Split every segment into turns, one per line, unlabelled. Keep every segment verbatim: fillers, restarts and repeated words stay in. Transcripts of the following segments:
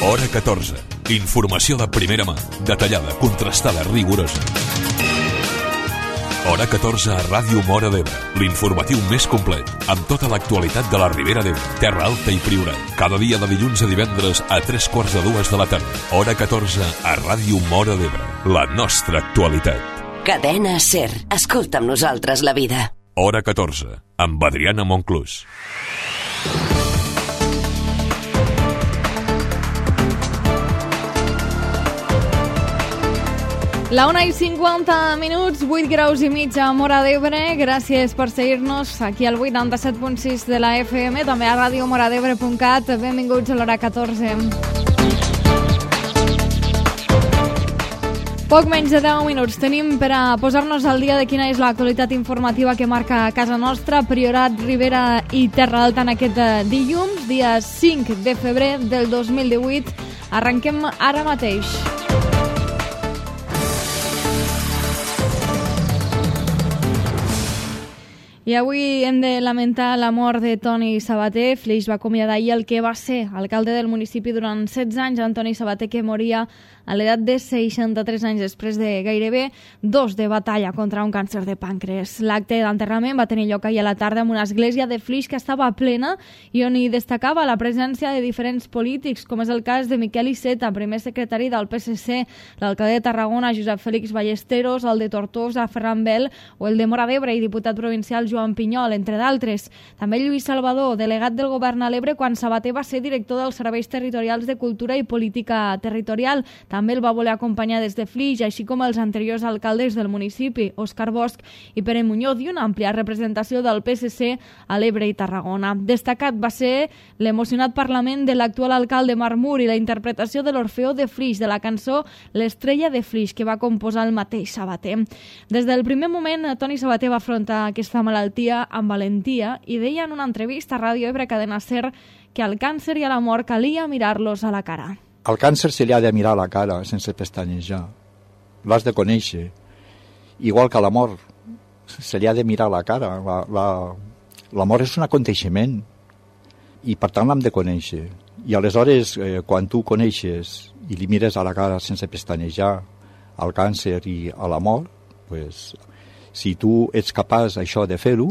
Hora catorze. Informació de primera mà, detallada, contrastada, rigorosa. Hora catorze a Ràdio Móra d'Ebre, l'informatiu més complet, amb tota l'actualitat de la Ribera d'Ebre, Terra Alta i Priorat. Cada dia de dilluns a divendres a tres quarts de dues de la tarda. Hora catorze a Ràdio Móra d'Ebre, la nostra actualitat.
Cadena SER. Escolta amb nosaltres la vida.
Hora catorze, amb Adriana Monclús.
La una i cinquanta minuts, vuit graus i mig a Móra d'Ebre. Gràcies per seguir-nos aquí al vuitanta-set punt sis de la F M, també a ràdio moradebre punt cat. Benvinguts a l'hora catorze. Poc menys de deu minuts tenim per a posar-nos al dia de quina és l'actualitat informativa que marca casa nostra, Priorat, Ribera i Terra Alta en aquest dilluns, dia cinc de febrer del dos mil divuit. Arrenquem ara mateix. I avui hem de lamentar la mort de Toni Sabater. Flix va acomiadar ahir el que va ser alcalde del municipi durant setze anys, Antoni Sabater, que moria a l'edat de seixanta-tres anys després de gairebé dos de batalla contra un càncer de pàncreas. L'acte d'enterrament va tenir lloc ahir a la tarda en una església de Flix que estava plena i on hi destacava la presència de diferents polítics, com és el cas de Miquel Iceta, primer secretari del P S C, l'alcalde de Tarragona, Josep Félix Ballesteros, el de Tortosa, Ferran Bel, o el de Móra d'Ebre i diputat provincial Joan Pinyol, entre d'altres. També Lluís Salvador, delegat del govern a l'Ebre quan Sabater va ser director dels Serveis Territorials de Cultura i Política Territorial. També el va voler acompanyar des de Flix, així com els anteriors alcaldes del municipi, Òscar Bosch i Pere Muñoz, i una àmplia representació del P S C a l'Ebre i Tarragona. Destacat va ser l'emocionat parlament de l'actual alcalde Marc Mur i la interpretació de l'Orfeó de Flix, de la cançó L'estrella de Flix, que va composar el mateix Sabater. Des del primer moment, Toni Sabater va afrontar aquesta malaltia amb valentia i deia en una entrevista a Ràdio Ebre Cadena SER que al càncer i a la mort calia mirar-los a la cara.
Al càncer se li ha de mirar a la cara sense pestanejar. L'has de conèixer. Igual que a la mort se li ha de mirar a la cara. La, la, la mort és un aconteixement i per tant l'hem de conèixer. I aleshores, eh, quan tu coneixes i li mires a la cara sense pestanejar al càncer i a la mort, pues, si tu ets capaç això de fer-ho,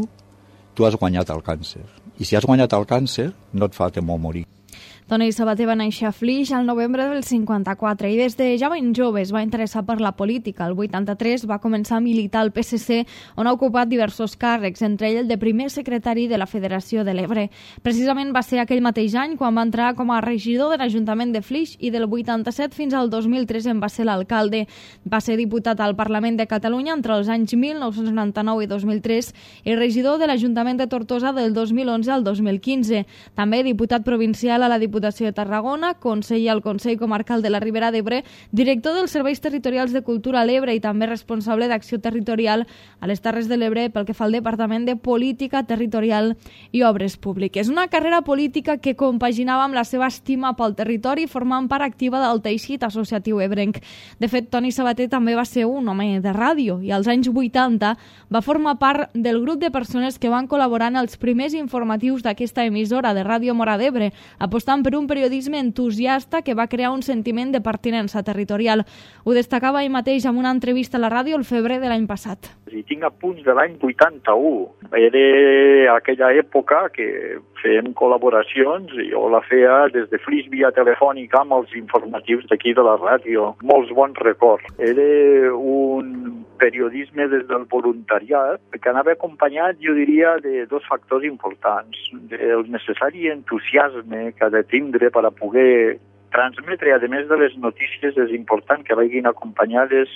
tu has guanyat el càncer. I si has guanyat el càncer, no et fa temor morir.
Toni Sabater va néixer a Flix al novembre del cinquanta-quatre i des de ja ben jove es va interessar per la política. El vuitanta-tres va començar a militar al P S C, on ha ocupat diversos càrrecs, entre ell el de primer secretari de la Federació de l'Ebre. Precisament va ser aquell mateix any quan va entrar com a regidor de l'Ajuntament de Flix i del vuitanta-set fins al dos mil tres en va ser l'alcalde. Va ser diputat al Parlament de Catalunya entre els anys mil nou-cents noranta-nou i dos mil tres i regidor de l'Ajuntament de Tortosa del dos mil onze al dos mil quinze. També diputat provincial a la Diputació de Tarragona, conseller al Consell Comarcal de la Ribera d'Ebre, director dels Serveis Territorials de Cultura a l'Ebre i també responsable d'Acció Territorial a les Terres de l'Ebre pel que fa al Departament de Política Territorial i Obres Públiques. Una carrera política que compaginava amb la seva estima pel territori formant part activa del teixit associatiu ebrenc. De fet, Toni Sabater també va ser un home de ràdio i als anys vuitanta va formar part del grup de persones que van col·laborar en els primers informatius d'aquesta emissora de Ràdio Móra d'Ebre, apostant per un periodisme entusiasta que va crear un sentiment de pertinença territorial. Ho destacava ell mateix en una entrevista a la ràdio el febrer de l'any passat.
I tinc apunts de l'any vuitanta-u. Era aquella època que fèiem col·laboracions i jo la feia des de Flix via telefònica amb els informatius d'aquí de la ràdio. Molts bons records. Era un periodisme des del voluntariat que anava acompanyat, jo diria, de dos factors importants. El necessari entusiasme que ha de tindre per a poder transmetre, a més de les notícies, és important que vagin acompanyades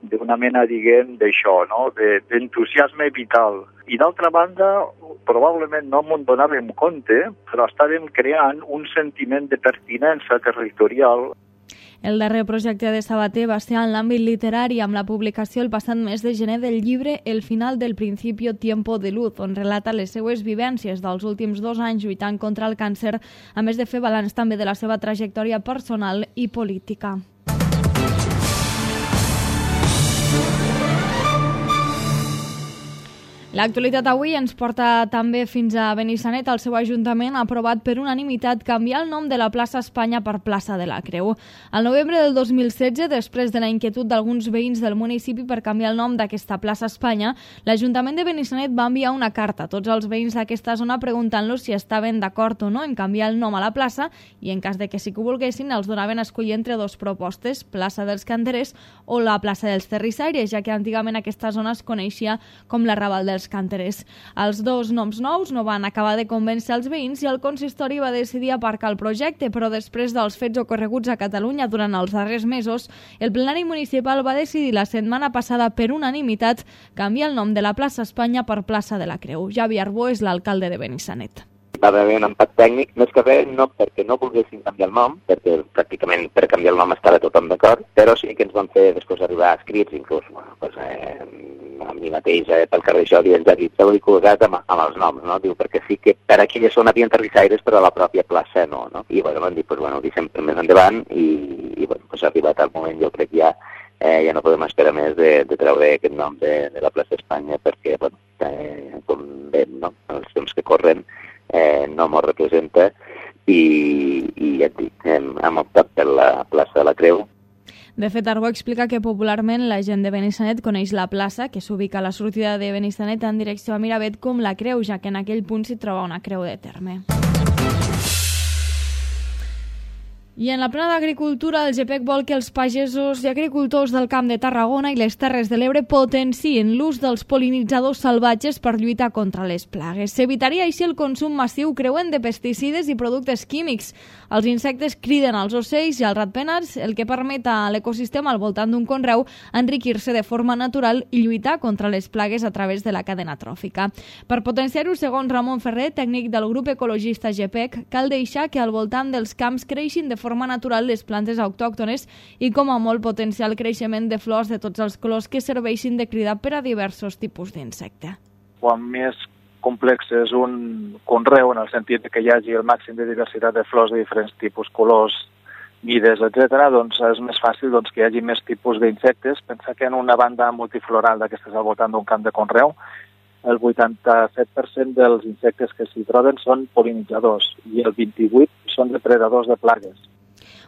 d'una mena, diguem, d'això, no? D'entusiasme vital. I d'altra banda, probablement no m'ho donàvem compte, però estàvem creant un sentiment de pertinença territorial.
El darrer projecte de Sabater va ser en l'àmbit literari amb la publicació el passat mes de gener del llibre El final del principio tiempo de luz, on relata les seues vivències dels últims dos anys lluitant contra el càncer, a més de fer balanç també de la seva trajectòria personal i política. L'actualitat avui ens porta també fins a Benissanet. El seu ajuntament ha aprovat per unanimitat canviar el nom de la plaça Espanya per plaça de la Creu. Al novembre del dos mil setze, després de la inquietud d'alguns veïns del municipi per canviar el nom d'aquesta plaça Espanya, l'Ajuntament de Benissanet va enviar una carta a tots els veïns d'aquesta zona preguntant-los si estaven d'acord o no en canviar el nom a la plaça i en cas de que sí que ho volguessin els donaven a escollir entre dues propostes, plaça dels Canterers o la plaça dels Terrissaires, ja que antigament aquesta zona es coneixia com la Raval dels Canterers. Els dos noms nous no van acabar de convèncer els veïns i el consistori va decidir aparcar el projecte, però després dels fets ocorreguts a Catalunya durant els darrers mesos, el plenari municipal va decidir la setmana passada per unanimitat canviar el nom de la plaça Espanya per plaça de la Creu. Javi Arbó és l'alcalde de Benissanet.
Va haver un empat tècnic, més que res no perquè no volguessin canviar el nom, perquè pràcticament per canviar el nom estava tothom d'acord, però sí que ens van fer després arribar escrits, inclús, bueno, pues, eh, a mi mateix, eh, pel carrer Jordi, ens ha dit, heu col·locat amb, amb els noms, no? Diu, perquè sí que per aquella zona havien terrissaires, però a la pròpia plaça no, no? I bueno, van dir, pues, bueno, ho deixem més endavant i, i bueno, pues, ha arribat el moment, jo crec ja, eh, ja no podem esperar més de, de treure aquest nom de, de la plaça Espanya, perquè, bueno, eh, com veiem, no? Els temps que corren, Eh, no m'ho representa i, i ja et dic, hem, hem optat per la plaça de la Creu.
De fet, Arbó explica que popularment la gent de Benissanet coneix la plaça, que s'ubica a la sortida de Benissanet en direcció a Miravet, com la Creu, ja que en aquell punt s'hi troba una creu de terme. I en la plana d'Agricultura, el GPEC vol que els pagesos i agricultors del Camp de Tarragona i les Terres de l'Ebre potenciïn l'ús dels pol·linitzadors salvatges per lluitar contra les plagues. S'evitaria així el consum massiu creuent de pesticides i productes químics. Els insectes criden als ocells i als ratpenats, el que permet a l'ecosistema al voltant d'un conreu enriquir-se de forma natural i lluitar contra les plagues a través de la cadena tròfica. Per potenciar-ho, segons Ramon Ferrer, tècnic del grup ecologista GPEC, cal deixar que al voltant dels camps creixin de forma forma natural les plantes autòctones i com a molt potenciar el creixement de flors de tots els colors que serveixin de crida per a diversos tipus d'insecte.
Quan més complex és un conreu, en el sentit que hi hagi el màxim de diversitat de flors de diferents tipus, colors, mides, etcètera, doncs és més fàcil doncs, que hi hagi més tipus d'insectes. Pensa que en una banda multifloral d'aquestes al voltant d'un camp de conreu, el vuitanta-set per cent dels insectes que s'hi troben són pol·linitzadors i el vint-i-vuit per cent són depredadors de plagues.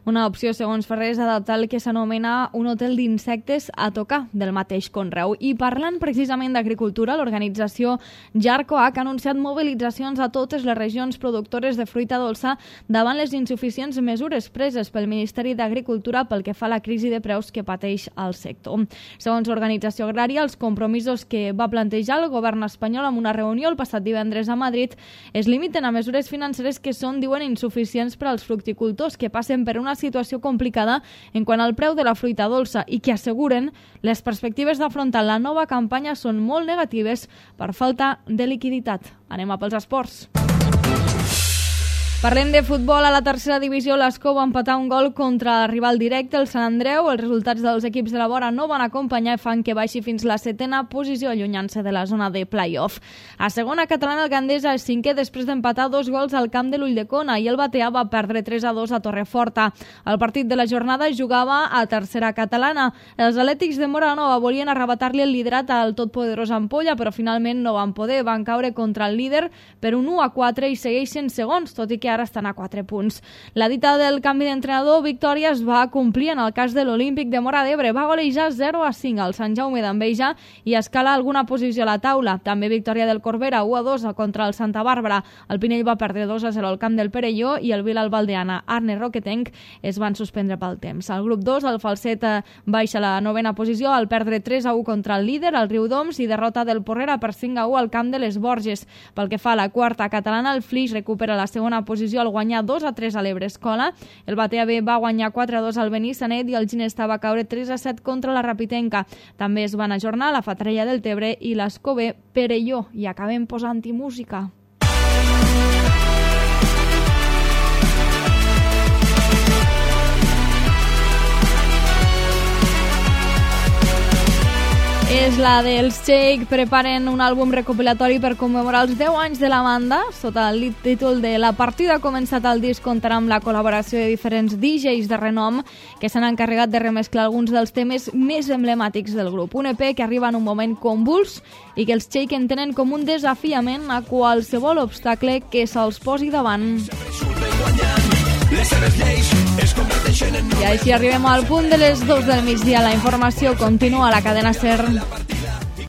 Una opció, segons Ferrer, és adaptar el que s'anomena un hotel d'insectes a tocar del mateix conreu. I parlant precisament d'agricultura, l'organització Jarcoac ha anunciat mobilitzacions a totes les regions productores de fruita dolça davant les insuficients mesures preses pel Ministeri d'Agricultura pel que fa a la crisi de preus que pateix el sector. Segons l'organització agrària, els compromisos que va plantejar el govern espanyol en una reunió el passat divendres a Madrid es limiten a mesures financeres que són, diuen, insuficients per als fructicultors, que passen per una situació complicada en quant al preu de la fruita dolça i que asseguren les perspectives d'afrontar la nova campanya són molt negatives per falta de liquiditat. Anem a pels esports. Parlem de futbol. A la tercera divisió, l'Escó va empatar un gol contra el rival directe, el Sant Andreu. Els resultats dels equips de la vora no van acompanyar i fan que baixi fins la setena posició, allunyant-se de la zona de play-off. A segona catalana, el Gandesa és cinquè després d'empatar dos gols al camp de l'Ulldecona i el Batea va perdre tres a dos a Torreforta. El partit de la jornada jugava a tercera catalana. Els Atlètics de Moranova volien arrebatar-li el liderat al totpoderós Ampolla, però finalment no van poder. Van caure contra el líder per un u a quatre i segueixen segons, tot i que ara estan a quatre punts. La dita del canvi d'entrenador, Victòria, es va complir en el cas de l'Olímpic de Móra d'Ebre. Va golejar zero a cinc al Sant Jaume d'Enveja i escala alguna posició a la taula. També victòria del Corbera, u a dos contra el Santa Bàrbara. El Pinell va perdre dos a zero al camp del Perelló i el Vilalbaldeana, Arne Roquetenc, es van suspendre pel temps. Al grup dos, el Falset baixa a la novena posició al perdre tres a u contra el líder, el Riudoms, i derrota del Porrera per cinc a u al camp de les Borges. Pel que fa a la quarta catalana, el Flix recupera la segona posició al guanyar dos a tres a l'Ebre Escola. El Batea B va guanyar quatre a dos al Benissanet i el Ginesta va caure tres a set contra la Rapitenca. També es van ajornar la Fatrella del Tebre i l'Escó B Perelló. I acabem posant-hi música. És la dels Shake preparen un àlbum recopilatori per commemorar els deu anys de la banda. Sota el títol de La partida ha començat, el disc comptarà amb la col·laboració de diferents D Js de renom que s'han encarregat de remesclar alguns dels temes més emblemàtics del grup. Un E P que arriba en un moment convuls i que els Shake entenen com un desafiament a qualsevol obstacle que se'ls posi davant. I així arribem al punt de les dos del migdia. La informació continua a la cadena SER.